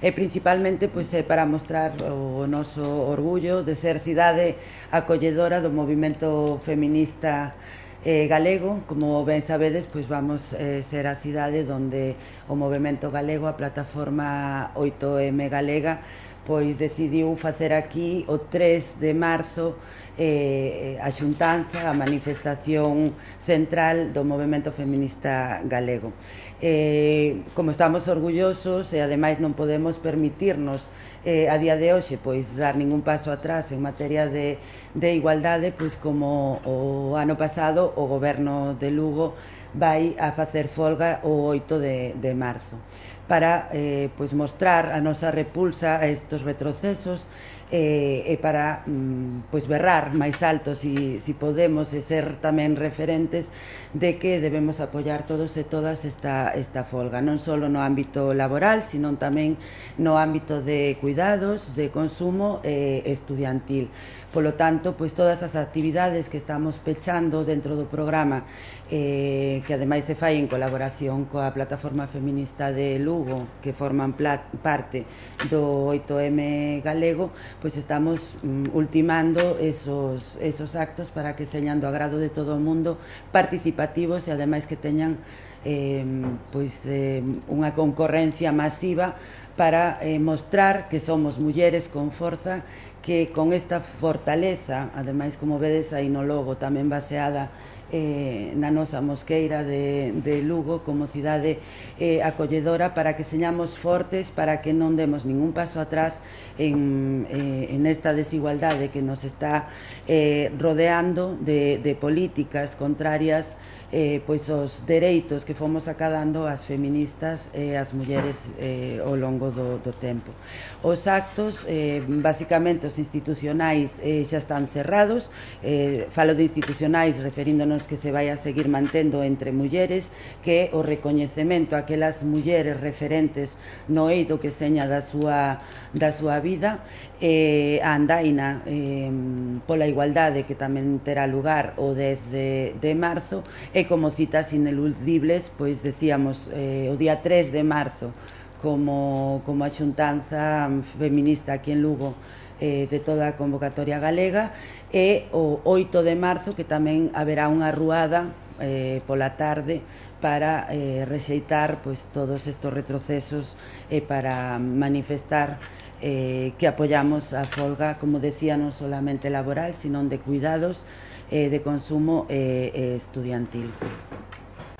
e principalmente pois, é para mostrar o noso orgullo de ser cidade acolledora do movimento feminista galego. Como ben sabedes, pois vamos ser a cidade onde o movimento galego, a plataforma 8M galega, pois decidiu facer aquí o 3 de marzo a xuntanza, a manifestación central do movimento feminista galego. Como estamos orgullosos e ademais non podemos permitirnos a día de hoxe pois dar ningún paso atrás en materia de igualdade, pois como o ano pasado o goberno de Lugo vai a facer folga o 8 de marzo para pois mostrar a nosa repulsa a estes retrocesos e para pois berrar máis alto si podemos e ser tamén referentes de que debemos apoiar todos e todas esta folga, non só no ámbito laboral, sino tamén no ámbito de cuidados, de consumo e estudiantil. Polo tanto, pois todas as actividades que estamos pechando dentro do programa, que ademais se fai en colaboración coa plataforma feminista de Lugo, que forman parte do 8M galego, pois estamos ultimando esos actos para que señan do agrado de todo o mundo, participativos e ademais que teñan unha concorrencia masiva para mostrar que somos mulleres con forza, que con esta fortaleza, ademais como vedes aí no logo, tamén baseada na nosa mosqueira de Lugo como cidade acolledora, para que señamos fortes, para que non demos ningún paso atrás en esta desigualdade que nos está rodeando de políticas contrarias pois os dereitos que fomos acadando as feministas e as mulleres ao longo do tempo. Os actos, basicamente os institucionais, xa están cerrados. Falo de institucionais referíndonos que se vai a seguir mantendo entre mulleres, que o recoñecemento a aquelas mulleres referentes no eido que seña da súa vida, a andaina pola igualdade que tamén terá lugar o 10 de marzo, e como citas ineludibles, pois decíamos o día 3 de marzo como a xuntanza feminista aquí en Lugo de toda a convocatoria galega, e o 8 de marzo que tamén haberá unha ruada pola tarde para rexeitar pois todos estes retrocesos e para manifestar que apoiamos a folga, como decía, non solamente laboral, sino de cuidados, de consumo e estudiantil.